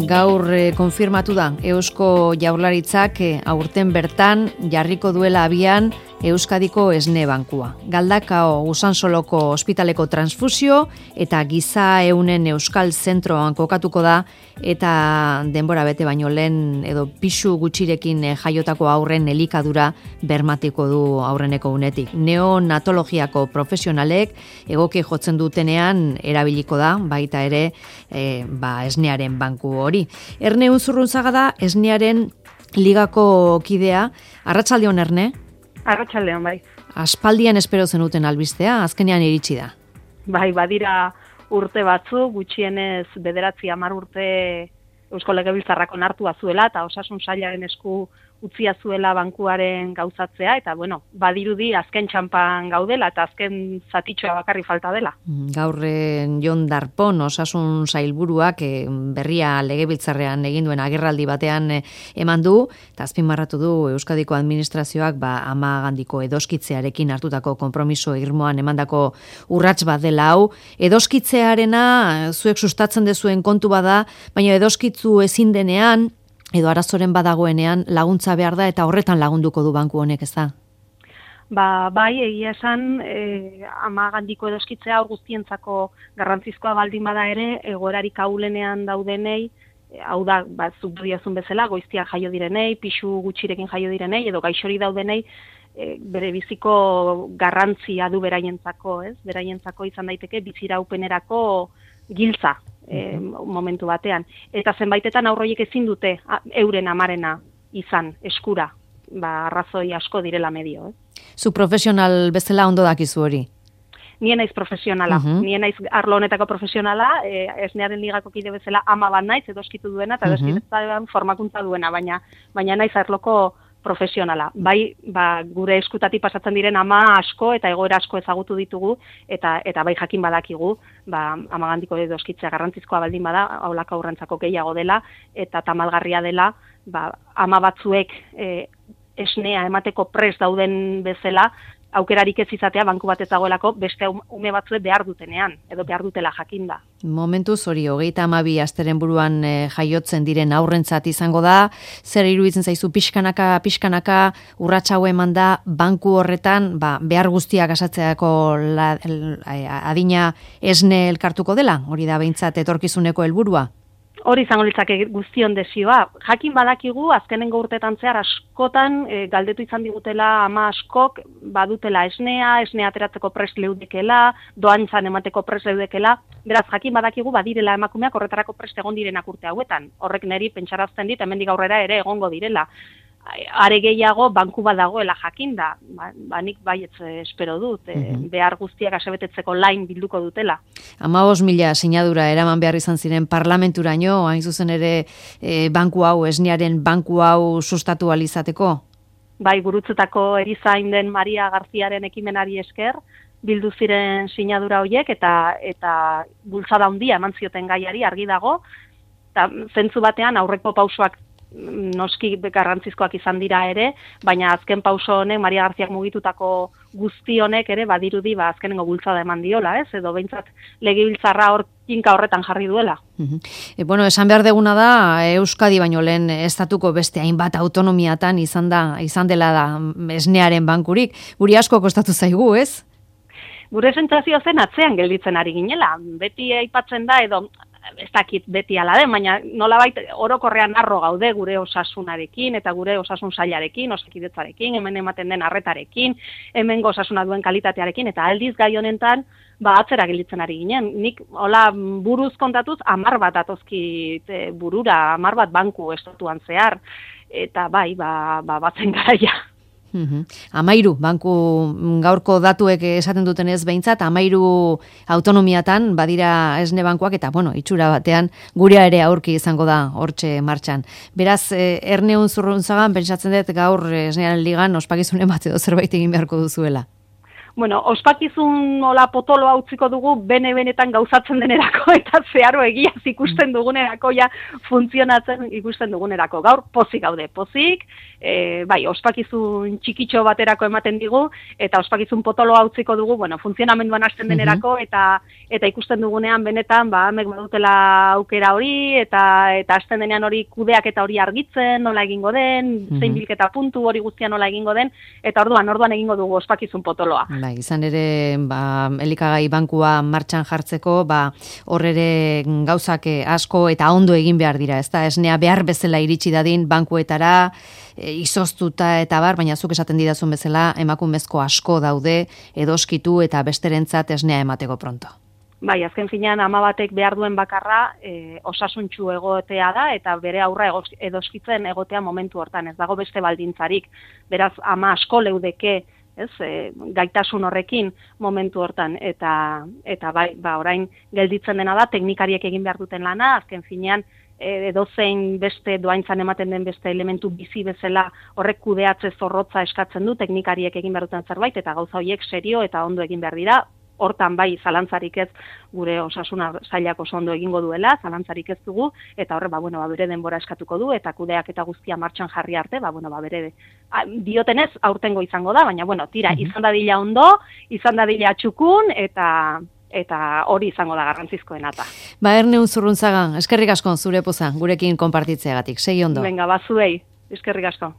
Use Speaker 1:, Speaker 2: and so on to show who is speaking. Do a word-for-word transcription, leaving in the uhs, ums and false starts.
Speaker 1: Gaur eh, konfirmatu da Eusko Jaurlaritzak eh, aurten bertan jarriko duela abian Euskadiko Esne Bankua. Galdakao Usansoloko ospitaleko transfusio eta giza eunen Euskal Zentroan kokatuko da eta denbora bete baino lehen edo pisu gutxirekin eh, jaiotako aurren elikadura bermatiko du aurreneko unetik. Neonatologiako profesionalek egoki jotzen dutenean erabiliko da, baita ere eh, ba, esnearen banku hori. Erne Unzurrunzaga da esnearen ligako kidea. Arratsaldeon, Erne?
Speaker 2: Arratsaldeon, bai.
Speaker 1: Aspaldian espero zenuten albistea, azkenean iritsi da.
Speaker 2: Bai, badira urte batzu, gutxienez bederatzi hamar urte Eusko Legebiltzarrak onartua zuela eta Osasun Sailaren esku utzia zuela bankuaren gauzatzea, eta bueno, badirudi azken txanpan gaudela eta azken zatitxoa bakarri falta dela.
Speaker 1: Gaurren Jon Darpon Osasun Sailburuak eh, berria Legebiltzarrean egin duen agerraldi batean eh, eman du, eta azpimarratu du Euskadiko administrazioak ba, Amagandiko edoskitzearekin hartutako konpromiso irmoan emandako urrats bat dela hau. Edoskitzearena zuek sustatzen dezuen kontu bada, baina edoskitzu ezin denean, edo arazoren badagoenean laguntza behar da eta horretan lagunduko du banku honek, ez da?
Speaker 2: Ba, bai, egia esan, e, Amagandiko edoskitzea hor guztientzako garrantzizkoa baldin bada ere, egoerarik ahulenean daudenei, e, hau da, ba, zuk diozun bezala, goiztian jaio direnei, pixu gutxirekin jaio direnei, edo gaixori daudenei, e, bere biziko garrantzia du beraientzako, ez? Beraientzako izan daiteke biziraupenerako giltza. E, momentu batean. Eta zenbaitetan aurroiek ezin dute a, euren amarena izan, eskura, ba, arrazoi asko direla medio. Eh?
Speaker 1: Zu profesional bezala ondo dakizu hori?
Speaker 2: Nien naiz profesionala, uh-huh. nien naiz arlo honetako profesionala, e, esnearen ligako kide bezala ama bat naiz, edoskitu duena, eta uh-huh. edoskitu formakuntza duena, baina, baina naiz arloko profesionala. Bai, ba, gure eskutatik pasatzen diren ama asko eta egoera asko ezagutu ditugu eta eta bai jakin badakigu, ba Amagandiko edoskitzea garrantzizkoa baldin bada, aulaka aurrentzako gehiago dela eta tamalgarria dela, ba ama batzuek e, esnea emateko prest dauden bezala, aukerarik ez izatea banku bat ez dagoelako beste ume batzuek behar dutenean, edo behar dutela jakinda.
Speaker 1: Momentuz hori, hogeita hamabi asteren buruan e, jaiotzen diren aurrentzat izango da, zer iruditzen zaizu pixkanaka, pixkanaka, urratsa hau eman da, banku horretan, ba, behar guztiak asatzeako la, el, adina esne elkartuko dela, hori da behintzat etorkizuneko helburua?
Speaker 2: Hori izango litzake guztion desioa. Jakin badakigu, azkenengo urtetan zehar askotan e, galdetu izan digutela ama askok badutela esnea, esnea ateratzeko prest leudekela, doantzan emateko prest leudekela, beraz jakin badakigu badirela emakumeak horretarako prest egon direnak urte hauetan. Horrek neri pentsarazten dit, hemendik aurrera ere egongo direla. Are gehiago banku bat dagoela jakinda, ba, ba nik baietz espero dut, e, uh-huh. behar guztiak asebetetzeko lain bilduko dutela.
Speaker 1: Hamabost mila sinadura eraman behar izan ziren parlamenturaino, hain zuzen ere e, banku hau, esnearen banku hau sustatu alizateko?
Speaker 2: Bai, gurutzetako erizain den Maria Garziaren ekimenari esker, bildu ziren sinadura horiek eta eta bultzada handia eman zioten gaiari argi dago, eta zentzu batean aurreko pausoak noski garrantzizkoak izan dira ere, baina azken pauso honek, Maria Garziak mugitutako guzti honek ere badirudi ba azkenengo bultzada eman diola, ez? Edo behintzat legebiltzarra hor kinka horretan jarri duela.
Speaker 1: Uh-huh. E, bueno, esan behar deguna da, Euskadi baino lehen estatuko beste hainbat autonomiatan izan da, izan dela da esnearen bankurik. Guri asko kostatu zaigu, ez?
Speaker 2: Gure sentsazio zen atzean gelditzen ari ginela. Beti aipatzen da edo ez dakit beti ala den, baina nolabait orokorrean harro gaude gure osasunarekin eta gure osasun sailarekin, osakidetzarekin, hemen ematen den arretarekin, hemengo osasuna duen kalitatearekin, eta aldiz gai honetan ba atzera gelditzen ari ginen. Nik hola buruz kontatuz hamar bat atozkit burura, hamar bat banku estatuan zehar, eta bai, ba, ba batzen garaia.
Speaker 1: Uhum. Amairu, banku gaurko datuek esaten duten ez behintzat, amairu autonomiatan badira esne bankuak eta, bueno, itxura batean gurea ere aurki izango da hortxe martxan. Beraz, eh, Erne Unzurrunzagan, pentsatzen dut gaur esnearen ligan ospakizunen bat edo zerbait egin beharko duzuela.
Speaker 2: Bueno, ospakizun hola potoloa utziko dugu bene-benetan gauzatzen denerako eta zeharo egiaz ikusten dugunerako ja funtzionatzen ikusten dugunerako. Gaur pozik gaude, pozik, e, bai, ospakizun txikitxo baterako ematen digu eta ospakizun potoloa utziko dugu, bueno, funtzionamenduan hasten denerako eta eta ikusten dugunean benetan, ba, amek badutela aukera hori eta eta hasten denean hori kudeak eta hori argitzen, nola egingo den, zein bilketa puntu hori guztia nola egingo den, eta orduan, orduan egingo dugu ospakizun potoloa.
Speaker 1: Bai, izan ere, ba, elikagai bankua martxan jartzeko, ba, hor ere gauzak asko eta ondo egin behar dira, ez da, esnea behar bezala iritsi dadin bankuetara, e, izoztuta eta bar, baina zuk esaten didazun bezala, emakumezko asko daude, edoskitu eta besterentzat esnea emateko pronto.
Speaker 2: Bai, azken finean ama batek behar duen bakarra e, osasuntxu egotea da eta bere aurra edoskitzen egotea momentu hortan, ez dago beste baldintzarik, beraz ama asko leudeke, ez, e, gaitasun horrekin momentu hortan, eta eta bai, ba, orain gelditzen dena da, teknikariek egin behar duten lana, azken finean, edozein beste doaintzan ematen den beste elementu bizi bezala horrek kudeatze zorrotza eskatzen du, teknikariek egin behar duten zerbait, eta gauza horiek serio eta ondo egin behar dira, hortan bai zalantzarik ez gure osasuna sailak oso ondo egingo duela, zalantzarik ez dugu, eta horre, ba, bueno, ba, bere denbora eskatuko du, eta kudeak eta guztia martxan jarri arte, ba, bueno, ba, bere diotenez aurtengo izango da, baina, bueno, tira, izan dadila ondo, izan dadila txukun, eta eta hori izango da garrantzizkoena eta.
Speaker 1: Ba, Erne Unzurruntzaga, eskerrik asko zure poza, gurekin konpartitzeagatik, segi ondo.
Speaker 2: Venga, bazuei, eskerrik asko.